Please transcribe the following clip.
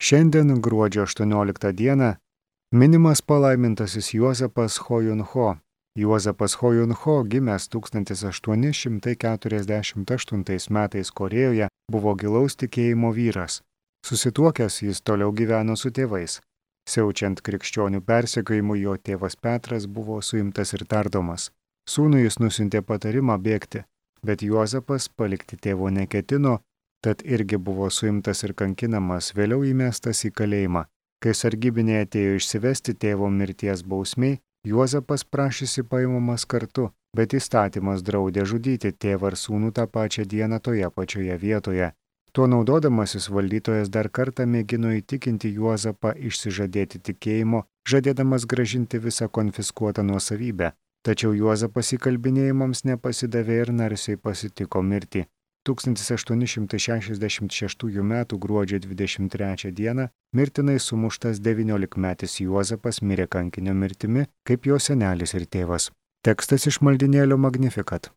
Šiandien, gruodžio 18 dieną, minimas palaimintasis Juozapas Hojunho. Juozapas Hojunho, gimęs 1848 metais Korėjoje, buvo gilaus tikėjimo vyras. Susituokęs jis toliau gyveno su tėvais. Siaučiant krikščionių persekiojimui, jo tėvas Petras buvo suimtas ir tardomas. Sūnui jis nusiuntė patarimą bėgti, bet Juozapas palikti tėvo neketino, tad irgi buvo suimtas ir kankinamas, vėliau įmestas į kalėjimą. Kai sargybiniai atėjo išsivesti tėvo mirties bausmiai, Juozapas prašėsi paimamas kartu, bet įstatymas draudė žudyti tėvą ir sūnų tą pačią dieną toje pačioje vietoje. Tuo naudodamasis valdytojas dar kartą mėgino įtikinti Juozapą išsižadėti tikėjimo, žadėdamas grąžinti visą konfiskuotą nuosavybę. Tačiau Juozapas įkalbinėjimams nepasidavė ir narsiai pasitiko mirtį. 1866 m. gruodžio 23 d. mirtinai sumuštas 19-metis Juozapas mirė kankinio mirtimi, kaip jo senelis ir tėvas. Tekstas iš maldynėlio Magnificat.